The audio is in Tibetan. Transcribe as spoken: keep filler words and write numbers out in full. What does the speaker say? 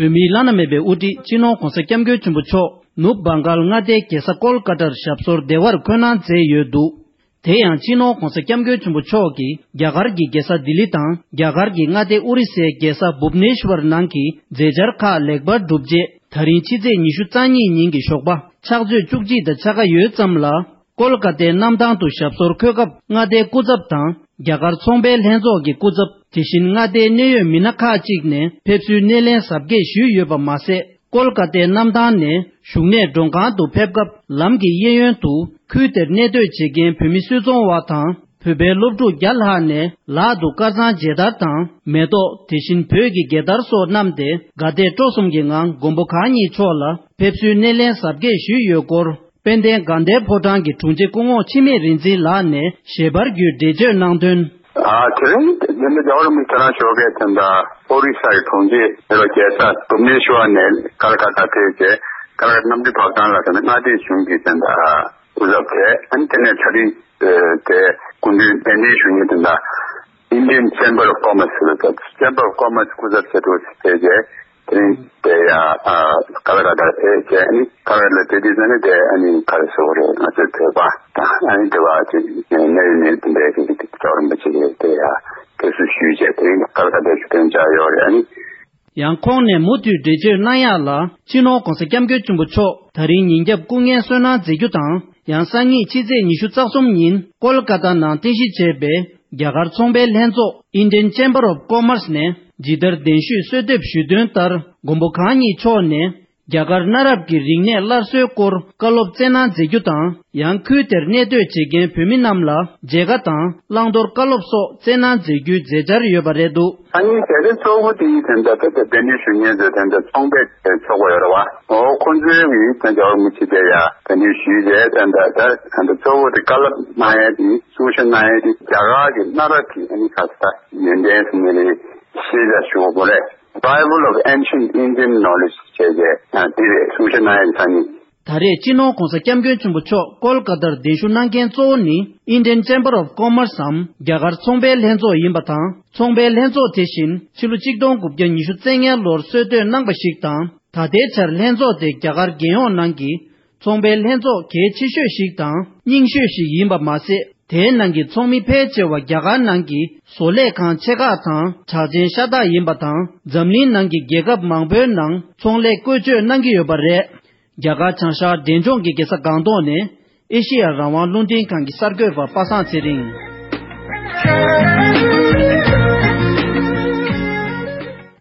བོད་མིའི་བླ་ན་མེད་པའི་དབུ་ཁྲིད་སྤྱི་ནོར་༧གོང་ས་༧སྐྱབས་མགོན་ཆེན་པོ་མཆོག་ནུབ་བྷང་གཱལ་མངའ་སྡེའི་རྒྱལ་ས་ཀོལ་ཀ་ཏར་ཞབས་སོར་བདེ་བར་འཁོད་གནང་མཛད་ཡོད་འདུག་དེ་ཡང་སྤྱི་ནོར་༧གོང་ས་༧སྐྱབས་མགོན་ཆེན་པོ་མཆོག་གིས་རྒྱ་གར་གྱི་རྒྱལ་ས་ལྡི་ལི་དང་རྒྱ་གར་གྱི་མངའ་སྡེ་ཨོ་རི་སའི་རྒྱལ་ས་བུབ་ནེ་ཤ་ཝར་ནང་གི་མཛད་འཆར་ཁག་ལེགས་པར་གྲུབ་རྗེས། ད་རིང་ཕྱི་ཚེས་ཉི་ཤུ་རྩ་གཉིས་ཉིན་གྱི་ཞོགས་པ་ཕྱག་ཚོད་བཅུ་གཅིག་དང་ཕྱེད་ཀ་ཡོལ་ཙམ་ལ། ཀོལ་ཀ་ཏའི་གནམ་ཐང་དུ་ཞབས་སོར་འཁོད་སྐབས་མངའ་སྡེའི་སྐུ་ཚབ་དང་རྒྱ་གར་ཚོང་པའི་ལྷན་ཚོགས་ཀྱི་སྐུ་ཚབ། དེ་བཞིན་མངའ་སྡེའི་གནད་ཡོད་མི་སྣ་ཁག་ཅིག་ནས་ཕེབས་བསུའི་སྣེ་ལེན་གཟབ་རྒྱས་ཞུས་ཡོད་པ་མ་ཟད། ཀོལ་ཀ་ཏའི་གནམ་ཐང་ནས་བཞུགས་གནས་མགྲོན་ཁང་དུ་ཕེབས་སྐབས་ལམ་གྱི་གཡས་གཡོན་དུ་ཁུལ་དེར་གནས་སྡོད་བྱེད་མཁན་བོད་མི་སུད་ཚོང་བ་དང་། བོད་པའི་སློབ་ཕྲུག་བརྒྱ་ལྷག་ནས་ལག་ཏུ་དཀར་གཙང་མཇལ་དར་དང་མེ་ཏོག་དེ་བཞིན་བོད་ཀྱི་རྒྱལ་དར་སོགས་བསྣམས་ཏེ་དགའ་དད་སྤྲོ་གསུམ་གྱི་ངང་མགོན་པོ་གང་ཉིད་མཆོག་ལ་ཕེབས་བསུའི་སྣེ་ལེན་གཟབ་རྒྱས་ཞུས་ཡོད་སྐོར། དཔལ་ལྡན་དགའ་ལྡན་ཕོ་བྲང་གི་དྲུང་ཆེ་སྐུ་ངོ་འཆི་མེད་རིག་འཛིན་ལགས་ནས་ཞལ་པར་བརྒྱུད་འགྲེལ་བརྗོད་གནང་དོན། ཨ་དེ་རིང་འདི་ནི་རྒྱལ་བ་རིན་པོ་ཆེ་རང་ཞོགས་ཀས་དེ་འདྲ་ཨོ་རི་ས་ཡི་དྲུང་ཆེ་ལོ་རྒྱལ་ས་བུབ་ནེ་ཤ་ཝར་ནས་ཀལ་ཀ་ཏ་ཕེབས་རྗེས་ཀལ་ཀ་ཏ་གནམ་གྲུ་བབས་ཐང་ལ་དེ་ནི་མངའ་སྡེ་གཞུང་གི་དེ་འདྲ་སྐུ་ཚབ་དེ་ཨ་ནི་དེ་ནས་ད་རིང་དེ་སྐུ་མདུན་གདན་འདྲེན་ཞུ་མཁན་དེ་འདྲ་Indian Chamber of Commerce ཟེར་བ་དང་Chamber of Commerce སྐུ་ཚབ་ཆེད་དུ་ཕེབས་རྗེས། དེ་རིང་དེ་ཡ་ཨ་ཀལ་ཀ་ཏ་ཕེབས་བྱས་ཨ་ནི་ཀལ་ཀ་ཏ་ཕེབས་དུས་ཙམ་ནས་དེ་ཨ་ནི་ག་རེ་ཟེར་དགོས་རེད། ང་ཚོའི་བོད་པ་དང་ཨ་ནི་དེ་བ་ཅིག་གནད་ཡོད་མི་དེ་འདྲའི་གི་ཅིག་རྒྱལ་བ་རིན་པོ་ཆེ་གིས་དེ་ཡ་ཕེབས་བསུ་ཞུས་བྱས་དེ་རིང་ཀལ་ཀ་ཏ་ཞུ་དོན་བཅར་ཡོད་རེད། ཨ་ནི། ཡང་ཁོང་ནས་མུ་མཐུད་འགྲེལ་བརྗོད་གནང་ཡག་ལ་སྤྱི་ནོར་༧གོང་ས་༧སྐྱབས་མགོན་ཆེན་པོ་མཆོག་ད་རིང་ཉིན་རྒྱབ་སྐུ་ངལ་གསོ་གནང་མཛད་རྒྱུ་དང་ཡང་སང་ཉིན་ཕྱི་ཚེས་ཉི་ཤུ་རྩ་གསུམ་ཉིན་ཀོལ་ཀ་ཏ་ནང་རྟེན་གཞི་བྱས་པའི་རྒྱ་གར་ཚོང་པའི་ལྷན་ཚོགས་Indian Chamber of Commerce ནས་ཇི་ལྟར་གདན་ཞུས་གསོལ་འདེབས་ཞུས་དོན་ལྟར་མགོན་པོ་གང་ཉིད་མཆོག་ནས། རྒྱ་གར་གནའ་རབས་ཀྱི་རིག་གནས་སླར་གསོའི་སྐོར་བཀའ་སློབ་སྩལ་གནང་མཛད་རྒྱུ་དང་ཡང་ཁུལ་དེར་གནས་སྡོད་བྱེད་མཁན་བོད་མི་རྣམས་ལ་མཇལ་ཁ་དང་བླང་དོར་བཀའ་སློབ་སོགས་སྩལ་གནང་མཛད་རྒྱུའི་མཛད་འཆར་ཡོད་པ་རེད་འདུག་ཨ་ནི་གལ་ཆེ་གཙོ་བོ་དེ་ཡིན་དེ་འདྲ་ད་ལྟ་གདན་འདྲེན་ཞུ་མཁན་ཚོས་དེ་འདྲ་ཚོང་པའི་ཚོགས་པ་ཡོད་རེད་བ། འོ་ཁོང་ཚོའི་གི་དེ་འདྲ་མི་ཆེ་དེ་ཡ་གདན་འདྲེན་ཞུས་རྗེས་དེ་འདྲ་ད་དེ་འདྲ་གཙོ་བོ་དེ་བཀའ་སློབ་གནང་ཡས་དེ་གསུང་བཤད་གནང་ཡས་དེ་རྒྱ་གར་གྱི་གནའ་རབས་ཀྱི་ཨ་ནི་ག་ས་ཡོན་ཏན་ཟེར་ནས་རེད། ཤེས་བྱ་ཞུ་དགོས་རེད། Bible of Ancient Indian Knowledge བྱས་རྗེས་དེ་རེད། གསུང་བཤད་གནང་ཡས་ས་ནི། ད་རེས་སྤྱི་ནོར་༧གོང་ས་༧སྐྱབས་མགོན་ཆེན་པོ་མཆོག་ཀོལ་ཀ་ཏར་གདན་ཞུ་གནང་མཁན་གཙོ་བོ་ནི་Indian Chamber of Commerce འམ་རྒྱ་གར་ཚོང་པའི་ལྷན་ཚོགས་ཡིན་པ་དང་། ཚོང་པའི་ལྷན་ཚོགས་དེ་བཞིན་ཕྱི་ལོ་གཅིག་སྟོང་དགུ་བརྒྱ་ཉི་ཤུ་རྩ་ལྔ་ལོར་སྲོལ་གཏོད་གནང་པ་ཞིག་དང་། ད་ལྟའི་ཆར་ལྷན་ཚོགས་དེ་རྒྱ་གར་རྒྱལ་ཡོངས་ནང་གི་ཚོང་པའི་ལྷན་ཚོགས་གལ་ཆེ་ཤོས་ཤིག་དང་རྙིང་ཤོས་ཤིག་ཡིན་པ་མ་ཟད། དེའི་ནང་གི་ཚོགས་མི་ཕལ་ཆེ་བ་རྒྱ་གར་ནང་གི་བཟོ་ལས་ཁང་ཆེ་ཁག་དང་གྲགས་ཅན་ཤ་སྟག་ཡིན་པ་དང་། འཛམ་གླིང་ནང་གི་རྒྱལ་ཁབ་མང་པོའི་ནང་ཚོང་ལས་བཀོལ་སྤྱོད་གནང་གི་ཡོད་པ་རེད། རྒྱ་གར་བྱང་ཤར་འབྲས་ལྗོངས་ཀྱི་རྒྱལ་ས་སྒང་ཏོག་ནས་ཨེ་ཤེ་ཡ་རང་དབང་རླུང་འཕྲིན་ཁང་གི་གསར་འགོད་པ་པ་སངས་ཚེ་རིང་།